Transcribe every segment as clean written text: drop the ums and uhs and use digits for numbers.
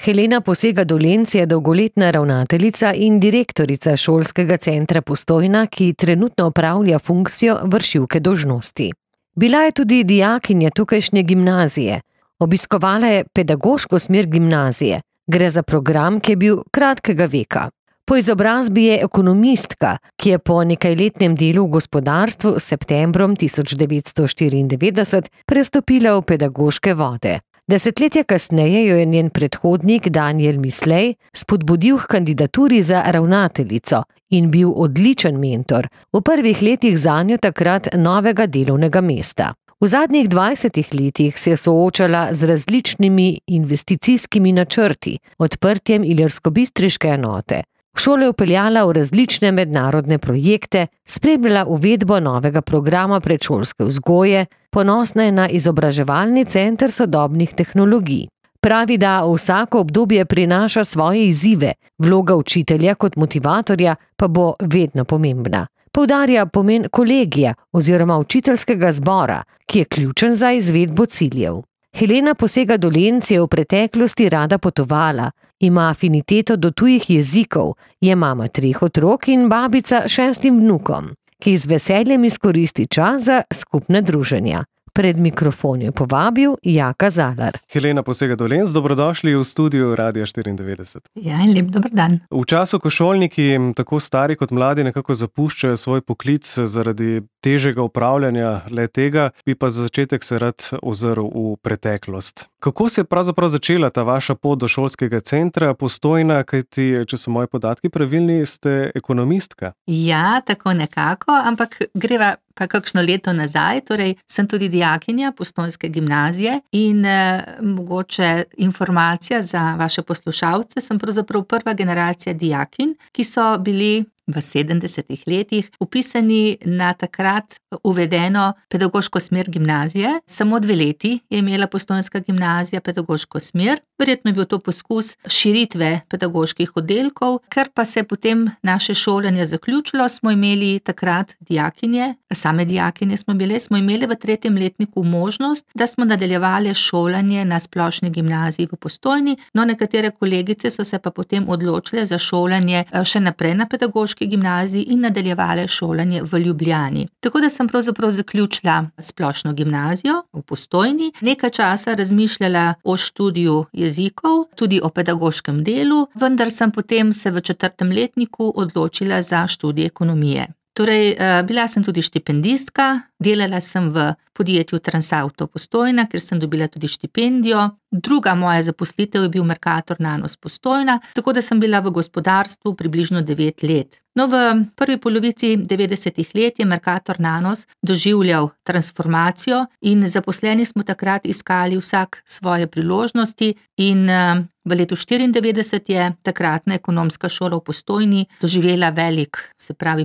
Helena Posega-Dolenc je dolgoletna ravnateljica in direktorica šolskega centra Postojna, ki trenutno opravlja funkcijo vršilke dolžnosti. Bila je tudi dijakinja tukajšnje gimnazije. Obiskovala je pedagoško smer gimnazije. Gre za program, ki je bil kratkega veka. Po izobrazbi je ekonomistka, ki je po nekajletnem delu v gospodarstvu s septembrom 1994 prestopila v pedagoške vode. Desetletje kasneje jo je njen predhodnik Danijel Mislej spodbudil k kandidaturi za ravnateljico in bil odličen mentor v prvih letih zanjo takrat novega delovnega mesta. V zadnjih 20 letih se je soočala z različnimi investicijskimi načrti, odprtjem ilirskobistriške enote. Šole je vpeljala v različne mednarodne projekte, spremljala uvedbo novega programa predšolske vzgoje, ponosna je na izobraževalni center sodobnih tehnologij. Pravi, da vsako obdobje prinaša svoje izzive, vloga učitelja kot motivatorja pa bo vedno pomembna. Poudarja pomen kolegija oziroma učiteljskega zbora, ki je ključen za izvedbo ciljev. Helena Posega-Dolenc je v preteklosti rada potovala, ima afiniteto do tujih jezikov, je mama 3 otrok in babica 6 vnukom, ki z veseljem izkoristi čas za skupne druženja. Pred mikrofon je povabil Jaka Zalar. Helena Posega-Dolenc, dobrodošli v studiu Radia 94. Ja, in lep dober dan. V času, ko šolniki, tako stari kot mladi, nekako zapuščajo svoj poklic zaradi težjega upravljanja le-tega, bi pa za začetek se rad ozrl v preteklost. Kako se je pravzaprav začela ta vaša pot do šolskega centra Postojna, kajti, če so moji podatki pravilni, ste ekonomistka? Ja, tako nekako, ampak greva pa kakšno leto nazaj, torej sem tudi dijakinja Postojnske gimnazije in mogoče informacija za vaše poslušalce, sem pravzaprav prva generacija dijakinj, ki so bili v 70 letih vpisani na takrat uvedeno pedagoško smer gimnazije. Samo 2 leti je imela Postojnska gimnazija pedagoško smer. Verjetno je bil to poskus širitve pedagoških oddelkov, ker pa se je potem naše šolanje zaključilo, smo imeli takrat dijakinje, same dijakinje smo imeli v 3. letniku možnost, da smo nadaljevali šolanje na splošni gimnaziji v Postojni, no nekatere kolegice so se pa potem odločile za šolanje še naprej na pedagoški gimnaziji in nadaljevale šolanje v Ljubljani. Tako da sem pravzaprav zaključila splošno gimnazijo v Postojni, nekaj časa razmišljala o študiju jezikov, tudi o pedagoškem delu, vendar sem potem se v 4. letniku odločila za študij ekonomije. Torej, bila sem tudi štipendistka, delala sem v podjetju Transauto Postojna, ker sem dobila tudi štipendijo. Druga moja zaposlitev je bil Mercator Nanos Postojna, tako da sem bila v gospodarstvu približno 9 let. No, v prvi polovici 90 let je Mercator Nanos doživljal transformacijo in zaposleni smo takrat iskali vsak svoje priložnosti in v letu 1994 je takratna ekonomska šola v Postojni doživela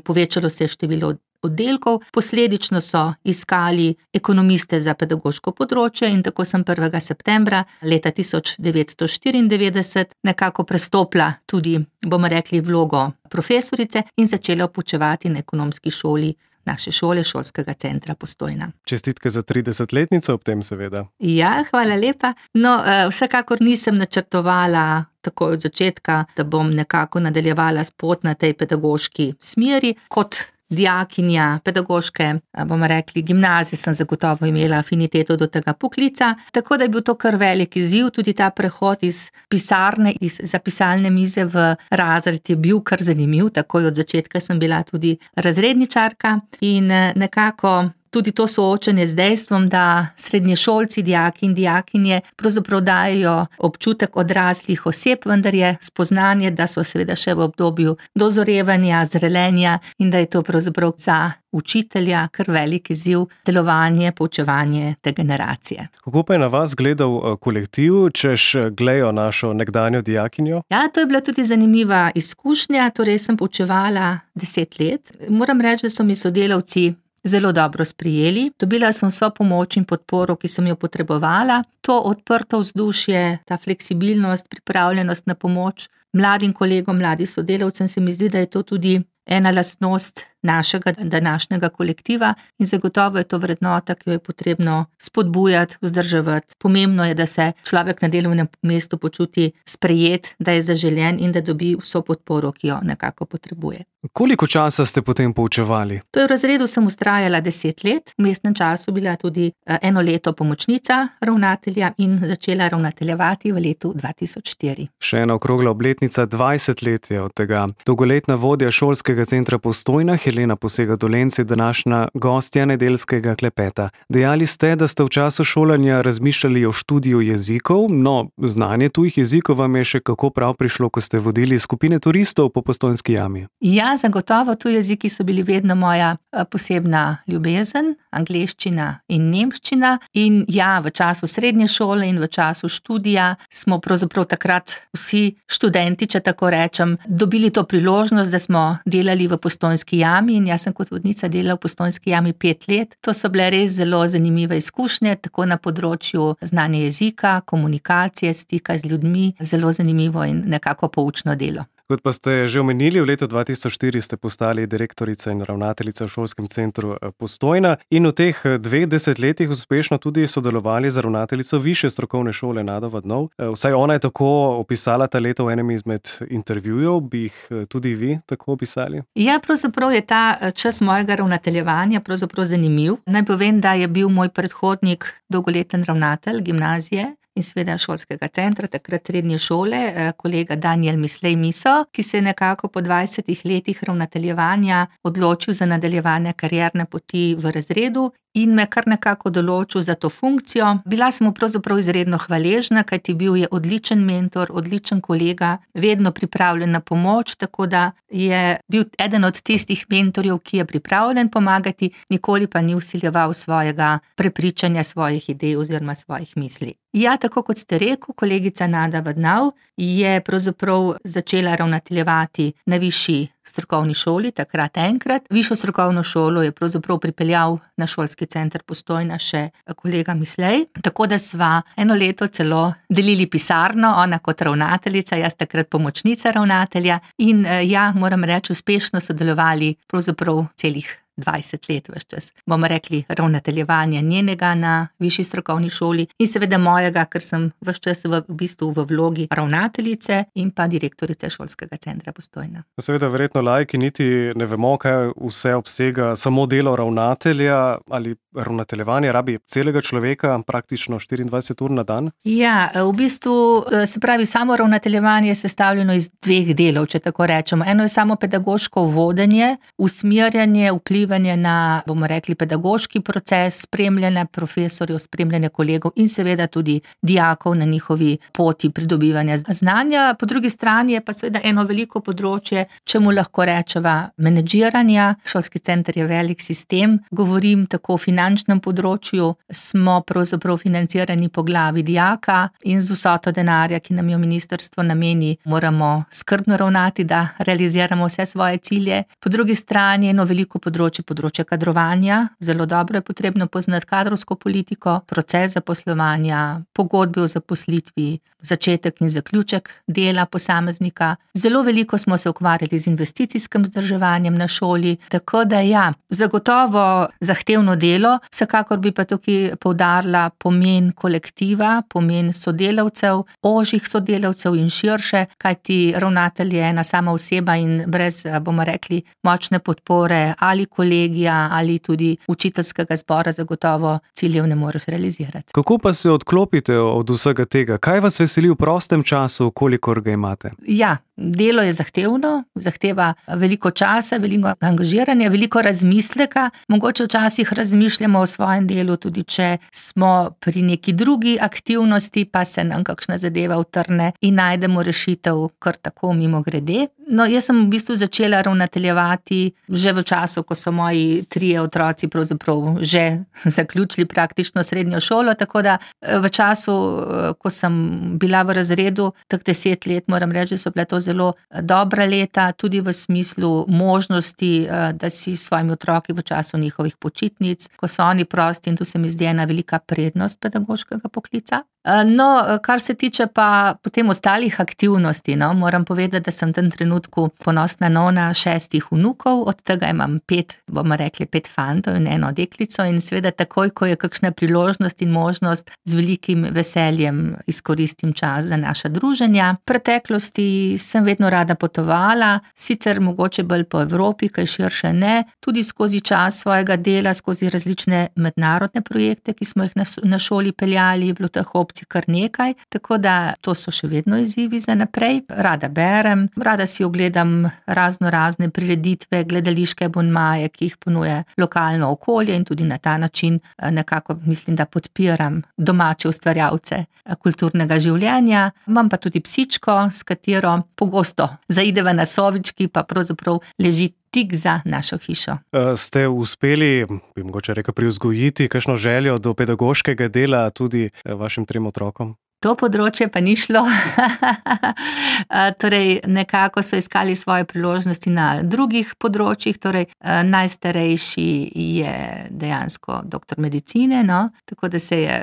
povečalo se je število oddelkov, posledično so iskali ekonomiste za pedagoško področje in tako sem 1. septembra leta 1994 nekako prestopila tudi, bomo rekli, vlogo profesorice in začela poučevati na ekonomski šoli naše šole, šolskega centra Postojna. Čestitke za 30-letnico ob tem seveda. Ja, hvala lepa. No, vsekakor nisem načrtovala takoj od začetka, da bom nekako nadaljevala pot na tej pedagoški smeri. Kot dijakinja pedagoške, bomo rekli, gimnazije sem zagotovo imela afiniteto do tega poklica, tako da je bil to kar velik izziv, tudi ta prehod iz pisarne, iz zapisalne mize v razred je bil kar zanimiv, takoj od začetka sem bila tudi razredničarka in nekako tudi to soočanje z dejstvom, da srednješolci, dijaki in dijakinje pravzaprav dajo občutek odraslih oseb, vendar je spoznanje, da so seveda še v obdobju dozorevanja, zrelenja in da je to pravzaprav za učitelja kar velik izziv delovanje, poučevanje te generacije. Kako pa je na vas gledal kolektiv, češ glejo našo nekdanjo dijakinjo? Ja, to je bila tudi zanimiva izkušnja, torej sem poučevala 10 let. Moram reči, da so mi sodelavci zelo dobro sprijeli. Dobila sem vso pomoč in podporo, ki sem jo potrebovala. To odprto vzdušje, ta fleksibilnost, pripravljenost na pomoč mladim kolegom, mladim sodelavcem, se mi zdi, da je to tudi ena lastnost našega današnjega kolektiva in zagotovo je to vrednota, ki jo je potrebno spodbujati, vzdrževati. Pomembno je, da se človek na delovnem mestu počuti sprejet, da je zaželen in da dobi vso podporo, ki jo nekako potrebuje. Koliko časa ste potem poučevali? V razredu sem vztrajala 10 let, v vmesnem času bila tudi 1 leto pomočnica ravnatelja in začela ravnateljevati v letu 2004. Še ena okrogla obletnica, 20 let je od tega. Dolgoletna vodja Šolskega centra Postojna, Helena Posega-Dolenc, je današnja gostja nedeljskega klepeta. Dejali ste, da ste v času šolanja razmišljali o študiju jezikov, no, znanje tujih jezikov vam je še kako prav prišlo, ko ste vodili skupine turistov po Postojnski jami. Ja, zagotovo tuji jeziki so bili vedno moja posebna ljubezen, angleščina in nemščina. In ja, v času srednje šole in v času študija smo pravzaprav takrat vsi študenti, če tako rečem, dobili to priložnost, da smo delali v Postojnski jami in jaz sem kot vodnica delala v Postojnski jami 5 let. To so bile res zelo zanimive izkušnje, tako na področju znanja jezika, komunikacije, stika z ljudmi, zelo zanimivo in nekako poučno delo. Kot pa ste že omenili, v letu 2004 ste postali direktorica in ravnateljica v Šolskem centru Postojna in v teh 2 desetletjih uspešno tudi sodelovali z ravnateljico Višje strokovne šole Nado Vadnov. Vsaj ona je tako opisala ta leta v enem izmed intervjujev, bi jih tudi vi tako opisali? Ja, pravzaprav je ta čas mojega ravnateljevanja pravzaprav zanimiv. Naj povem, da je bil moj predhodnik dolgoleten ravnatelj gimnazije in seveda Šolskega centra, takrat srednje šole, kolega Danijel Mislej Miso, ki se je nekako po 20 letih ravnateljevanja odločil za nadaljevanje karierne poti v razredu in me kar nekako določil za to funkcijo. Bila sem mu pravzaprav izredno hvaležna, kajti bil je odličen mentor, odličen kolega, vedno pripravljen na pomoč, tako da je bil eden od tistih mentorjev, ki je pripravljen pomagati, nikoli pa ni vsiljeval svojega prepričanja, svojih idej oziroma svojih misli. Ja, tako kot ste rekel, kolegica Nada Vadnov je pravzaprav začela ravnateljevati na višji strokovni šoli, takrat enkrat. Višjo strokovno šolo je pravzaprav pripeljal na Šolski center Postojna še kolega Mislej, tako da sva 1 leto celo delili pisarno, ona kot ravnateljica, jaz takrat pomočnica ravnatelja in ja, moram reči, uspešno sodelovali pravzaprav celih 20 let ves čas. Bomo rekli ravnateljevanja njenega na višji strokovni šoli in seveda mojega, ker sem ves čas v bistvu v vlogi ravnateljice in pa direktorice Šolskega centra Postojna. Seveda verjetno laiki niti ne vemo, kaj vse obsega samo delo ravnatelja ali ravnateljevanje rabi celega človeka praktično 24 ur na dan. Ja, v bistvu se pravi, samo ravnateljevanje je sestavljeno iz 2 delov, če tako rečemo. Eno je samo pedagoško vodenje, usmerjanje, vplivanje na, bomo rekli, pedagoški proces, spremljanje profesorjev, spremljanje kolegov in seveda tudi dijakov na njihovi poti pridobivanja znanja. Po drugi strani je pa seveda eno veliko področje, čemu lahko rečeva menedžiranja. Šolski center je velik sistem, govorim tako o finančnem področju, smo pravzaprav financirani po glavi dijaka in z vsoto denarja, ki nam jo ministrstvo nameni, moramo skrbno ravnati, da realiziramo vse svoje cilje. Po drugi strani eno veliko področje kadrovanja, zelo dobro je potrebno poznati kadrovsko politiko, proces zaposlovanja, pogodbe o zaposlitvi, začetek in zaključek dela posameznika. Zelo veliko smo se ukvarjali z investicijskim vzdrževanjem na šoli, tako da ja, zagotovo zahtevno delo, vsekakor bi pa tukaj poudarila pomen kolektiva, pomen sodelavcev, ožjih sodelavcev in širše, kajti ravnatelj je ena sama oseba in brez, bomo rekli, močne podpore ali kolegija ali tudi učiteljskega zbora zagotovo ciljev ne moreš realizirati. Kako pa se odklopite od vsega tega? Kaj vas veseli v prostem času, kolikor ga imate? Ja, delo je zahtevno, zahteva veliko časa, veliko angažiranja, veliko razmisleka. Mogoče včasih razmišljamo o svojem delu, tudi če smo pri neki drugi aktivnosti, pa se nam kakšna zadeva utrne in najdemo rešitev kar tako mimogrede. No, jaz sem v bistvu začela ravnateljevati že v času, ko so moji 3 otroci pravzaprav že zaključili praktično srednjo šolo, tako da v času, ko sem bila v razredu, tak 10 let, moram reči, so bile to zelo dobra leta, tudi v smislu možnosti, da si s svojimi otroki v času njihovih počitnic, ko so oni prosti in tu se mi zdi ena velika prednost pedagoškega poklica. No, kar se tiče pa potem ostalih aktivnosti, no, moram povedati, da sem v tem trenutku ponosna nona 6 vnukov, od tega imam 5, bomo rekli 5 fantov in 1 deklico in seveda takoj, ko je kakšna priložnost in možnost, z velikim veseljem izkoristim čas za naša druženja. V preteklosti sem vedno rada potovala, sicer mogoče bolj po Evropi, kaj širše ne, tudi skozi čas svojega dela, skozi različne mednarodne projekte, ki smo jih na šoli peljali, je bilo teh opcij kar nekaj, tako da to so še vedno izzivi za naprej. Rada berem, rada si ogledam razne prireditve, gledališke abonmaje, ki jih ponuja lokalno okolje in tudi na ta način nekako mislim, da podpiram domače ustvarjalce kulturnega življenja. Imam pa tudi psičko, s katero pogosto zaideva na Sovički, pa pravzaprav leži tik za našo hišo. Ste uspeli, bi mogoče rekel, privzgojiti kakšno željo do pedagoškega dela tudi vašim 3 otrokom? To področje pa ni šlo. Torej, nekako so iskali svoje priložnosti na drugih področjih, torej najstarejši je dejansko doktor medicine, no, tako da se je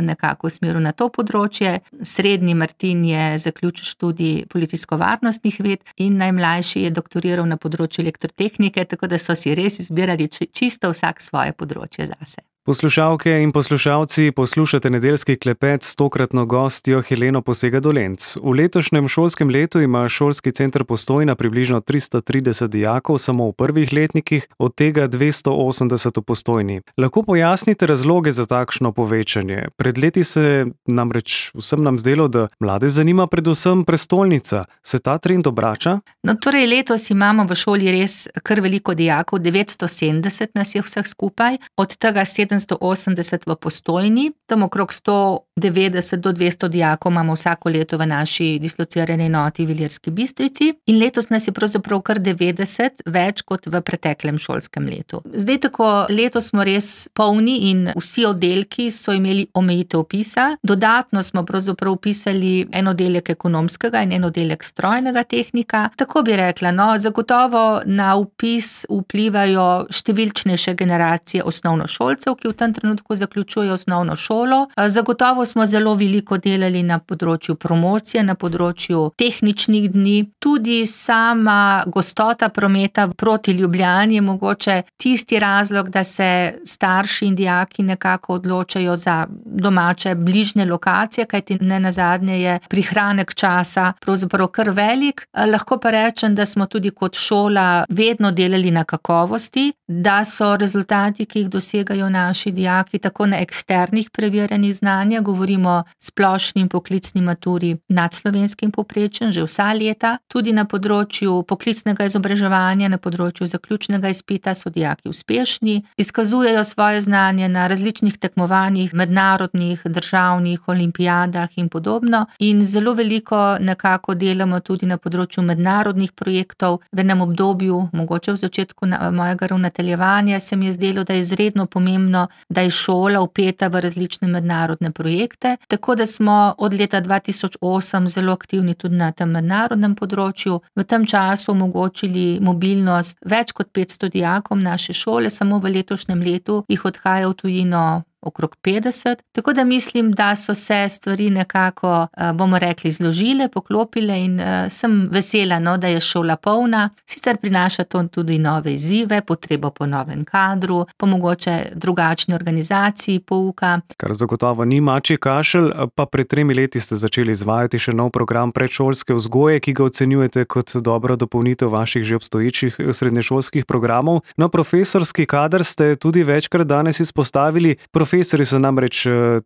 nekako usmeril na to področje. Srednji Martin je zaključil študij policijsko-varnostnih ved in najmlajši je doktoriral na področju elektrotehnike, tako da so si res izbirali čisto vsak svoje področje zase. Poslušalke in poslušalci, poslušate Nedeljski klepet s tokratno gostjo Heleno Posega-Dolenc. V letošnjem šolskem letu ima šolski center Postojna približno 330 dijakov samo v prvih letnikih, od tega 280 v Postojni. Lahko pojasnite razloge za takšno povečanje? Pred leti se namreč vsem nam zdelo, da mlade zanima predvsem prestolnica. Se ta trend obrača? No, torej letos imamo v šoli res kar veliko dijakov, 970 nas je vseh skupaj, od tega 780 v Postojni, tam okrog 190 do 200 dijakov imamo vsako leto v naši dislocirani enoti v Ilirski Bistrici in letos nas je pravzaprav kar 90 več kot v preteklem šolskem letu. Zdaj tako, letos smo res polni in vsi oddelki so imeli omejitev vpisa, dodatno smo pravzaprav vpisali en oddelek ekonomskega in en oddelek strojnega tehnika. Tako bi rekla, no, zagotovo na vpis vplivajo številčnejše generacije osnovnošolcev, ki v tem trenutku zaključujejo osnovno šolo. Zagotovo smo zelo veliko delali na področju promocije, na področju tehničnih dni. Tudi sama gostota prometa proti Ljubljani je mogoče tisti razlog, da se starši in dijaki nekako odločajo za domače bližnje lokacije, kajti nenazadnje je prihranek časa pravzaprav kar velik. Lahko pa rečem, da smo tudi kot šola vedno delali na kakovosti, da so rezultati, ki jih dosegajo naši dijaki, tako na eksternih preverjanjih znanja, govorimo splošnim poklicni maturi nad slovenskim povprečjem že vsa leta, tudi na področju poklicnega izobraževanja, na področju zaključnega izpita so dijaki uspešni, izkazujejo svoje znanje na različnih tekmovanjih, mednarodnih, državnih, olimpijadah in podobno in zelo veliko nekako delamo tudi na področju mednarodnih projektov. V enem obdobju, mogoče v začetku mojega ravnateljevanja, se mi je zdelo, da je izredno pomembno, da je šola vpeta v različne mednarodne projekte, tako da smo od leta 2008 zelo aktivni tudi na tem mednarodnem področju. V tem času omogočili mobilnost več kot 500 dijakom naše šole, samo v letošnjem letu jih odhaja v tujino okrog 50, tako da mislim, da so se stvari nekako, bomo rekli, zložile, poklopile in sem vesela, no, da je šola polna. Sicer prinaša to tudi nove izzive, potrebo po novem kadru, po mogoče drugačni organizaciji pouka. Kar zagotovo ni mačji kašelj, pa pred 3 leti ste začeli izvajati še nov program predšolske vzgoje, ki ga ocenjujete kot dobro dopolnitev vaših že obstoječih srednješolskih programov. No, profesorski kader ste tudi večkrat danes izpostavili. Profesorji so namreč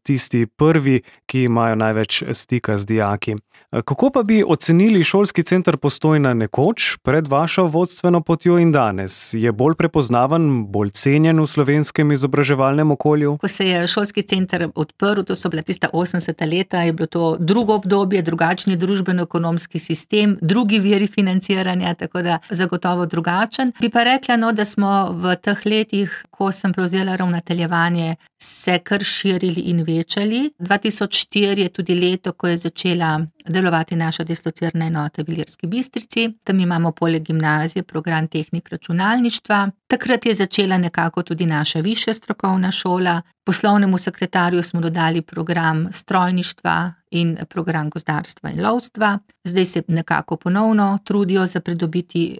tisti prvi, ki imajo največ stika z dijaki. Kako pa bi ocenili šolski center Postojna nekoč, pred vašo vodstveno potjo in danes? Je bolj prepoznaven, bolj cenjen v slovenskem izobraževalnem okolju? Ko se je šolski center odprl, to so bila tista 80. leta, je bilo to drugo obdobje, drugačni družbeno-ekonomski sistem, drugi viri financiranja, tako da zagotovo drugačen. Bi pa rekla, no, da smo v teh letih, ko sem prevzela ravnateljevanje, se kar širili in večali. 2004 je tudi leto, ko je začela delovati naša dislocirana enota v Ilirski Bistrici. Tam imamo poleg gimnazije program tehnik računalništva. Takrat je začela nekako tudi naša višja strokovna šola. Poslovnemu sekretarju smo dodali program strojništva in program gozdarstva in lovstva. Zdaj se nekako ponovno trudijo za pridobiti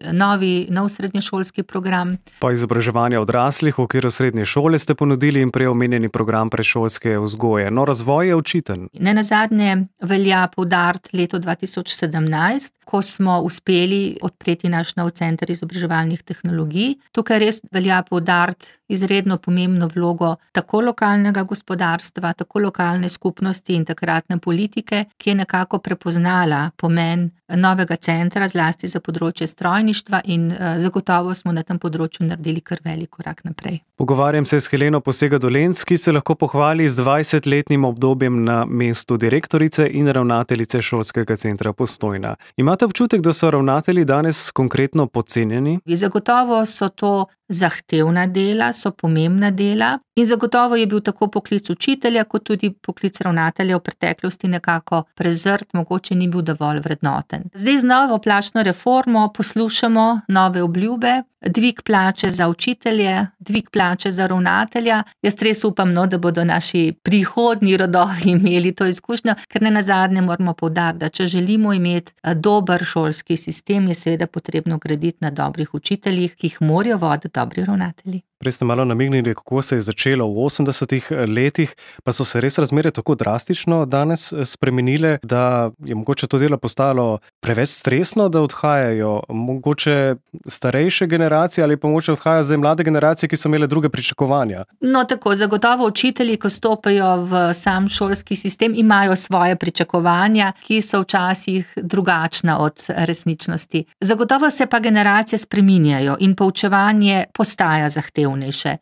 nov srednješolski program. Pa izobraževanje odraslih v okviru srednje šole ste ponudili in prej omenjeni program predšolske vzgoje. No, razvoj je očiten. Nenazadnje velja poudariti leto 2017, ko smo uspeli odpreti naš nov center izobraževalnih tehnologij. Tukaj res velja poudariti izredno pomembno vlogo tako lokalnega gospodarstva, tako lokalne skupnosti in takratne politike, ki je nekako prepoznala pomen novega centra, zlasti za področje strojništva, in zagotovo smo na tem področju naredili kar velik korak naprej. Pogovarjam se s Heleno Posega-Dolenc, ki se lahko pohvali z 20-letnim obdobjem na mestu direktorice in ravnateljice Šolskega centra Postojna. Imate občutek, da so ravnatelji danes konkretno podcenjeni? Zagotovo so to zahtevna dela, so pomembna dela in zagotovo je bil tako poklic učitelja kot tudi poklic ravnatelja v preteklosti nekako prezrt, mogoče ni bil dovolj vrednoten. Zdaj z novo plačno reformo poslušamo nove obljube, dvig plače za učitelje, dvig plače za ravnatelja. Jaz res upam, da bodo naši prihodnji rodovi imeli to izkušnjo, ker nenazadnje moramo poudariti, da če želimo imeti dober šolski sistem, je seveda potrebno graditi na dobrih učiteljih, ki jih morajo voditi dobri ravnatelji. Prej ste malo namignili, kako se je začelo v 80-ih letih, pa so se res razmere tako drastično danes spremenile, da je mogoče to delo postalo preveč stresno, da odhajajo mogoče starejše generacije ali pa mogoče odhajajo zdaj mlade generacije, ki so imele druge pričakovanja. No tako, zagotovo učitelji, ko stopajo v sam šolski sistem, imajo svoje pričakovanja, ki so včasih drugačna od resničnosti. Zagotovo se pa generacije spreminjajo in poučevanje postaja zahtevno.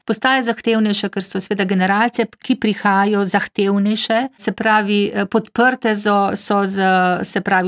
Postaje zahtevnejše, ker so seveda generacije, ki prihajajo zahtevnejše, se pravi podprte so z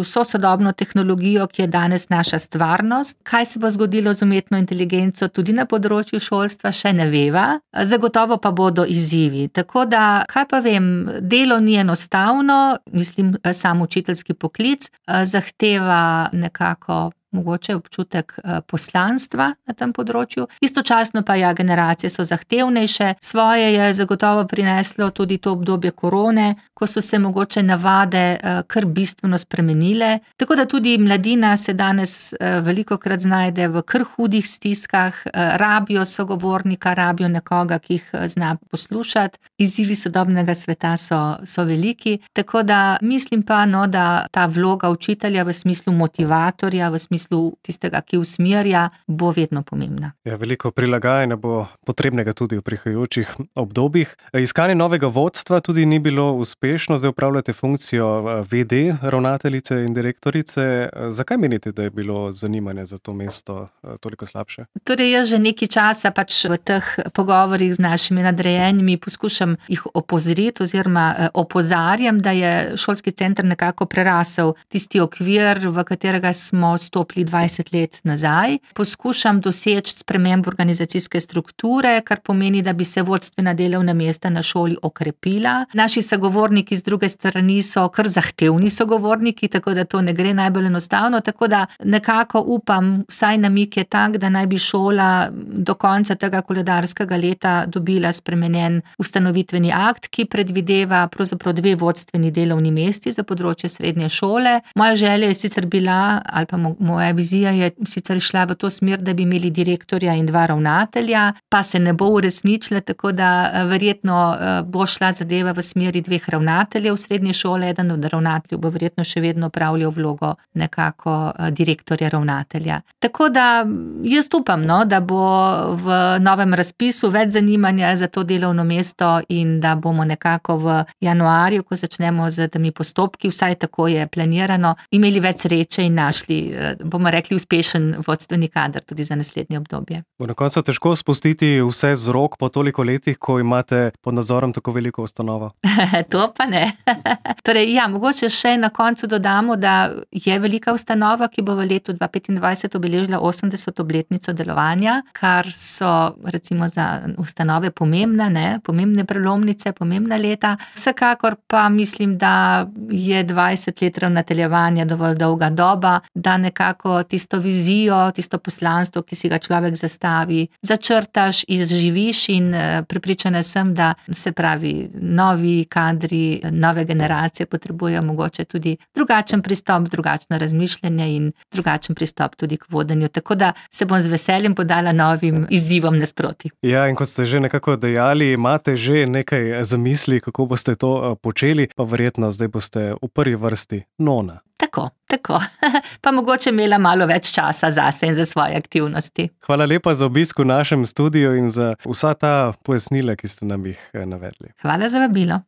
vso sodobno tehnologijo, ki je danes naša stvarnost. Kaj se bo zgodilo z umetno inteligenco tudi na področju šolstva, še ne veva. Zagotovo pa bodo izzivi. Tako da, kaj pa vem, delo ni enostavno, mislim, sam učiteljski poklic zahteva nekako mogoče občutek poslanstva na tem področju. Istočasno pa generacije so zahtevnejše. Svoje je zagotovo prineslo tudi to obdobje korone, ko so se mogoče navade kar bistveno spremenile. Tako da tudi mladina se danes velikokrat znajde v kar hudih stiskah, rabijo sogovornika, rabijo nekoga, ki jih zna poslušati. Izzivi sodobnega sveta so veliki. Tako da mislim pa, da ta vloga učitelja v smislu motivatorja, v smislu tistega, ki usmerja, bo vedno pomembna. Ja, veliko prilagajanja bo potrebnega tudi v prihajajočih obdobjih. Iskanje novega vodstva tudi ni bilo uspešno, zdaj upravljate funkcijo VD, ravnateljice in direktorice. Zakaj menite, da je bilo zanimanje za to mesto toliko slabše? Torej, jaz že nekaj časa v teh pogovorih z našimi nadrejenimi poskušam jih opozoriti oziroma opozarjam, da je šolski center nekako prerasel tisti okvir, v katerega smo stopili 20 let nazaj. Poskušam doseči spremembo organizacijske strukture, kar pomeni, da bi se vodstvena delovna mesta na šoli okrepila. Naši sogovorniki z druge strani so kar zahtevni sogovorniki, tako da to ne gre najbolj enostavno, tako da nekako upam, vsaj namig je tak, da naj bi šola do konca tega koledarskega leta dobila spremenjen ustanovitveni akt, ki predvideva pravzaprav 2 vodstveni delovni mesti za področje srednje šole. Moja želja je sicer bila, ali pa moja vizija je sicer šla v to smer, da bi imeli direktorja in 2 ravnatelja, pa se ne bo uresničila, tako da verjetno bo šla zadeva v smeri 2 ravnateljev srednje šole, eden od ravnateljev bo verjetno še vedno opravljal vlogo nekako direktorja ravnatelja. Tako da jaz upam, da bo v novem razpisu več zanimanja za to delovno mesto in da bomo nekako v januarju, ko začnemo z temi postopki, vsaj tako je planirano, imeli več sreče in našli, bomo rekli, uspešen vodstveni kader tudi za naslednje obdobje. Bo na koncu težko spustiti vse z rok po toliko letih, ko imate pod nadzorom tako veliko ustanovo? To pa ne. Torej, mogoče še na koncu dodamo, da je velika ustanova, ki bo v letu 2025 obeležila 80. obletnico delovanja, kar so recimo za ustanove pomembne prelomnice, pomembna leta. Vsekakor pa mislim, da je 20 let ravnateljevanja dovolj dolga doba, da nekako tisto vizijo, tisto poslanstvo, ki si ga človek zastavi, začrtaš, izživiš in prepričana sem, da se pravi novi kadri, nove generacije potrebujejo mogoče tudi drugačen pristop, drugačno razmišljanje in drugačen pristop tudi k vodenju. Tako da se bom z veseljem podala novim izzivom nasproti. Ja, in kot ste že nekako dejali, imate že nekaj zamisli, kako boste to počeli, pa verjetno zdaj boste v prvi vrsti nona. Tako. Pa mogoče imela malo več časa zase in za svoje aktivnosti. Hvala lepa za obisk v našem studiu in za vsa ta pojasnila, ki ste nam jih navedli. Hvala za vabilo.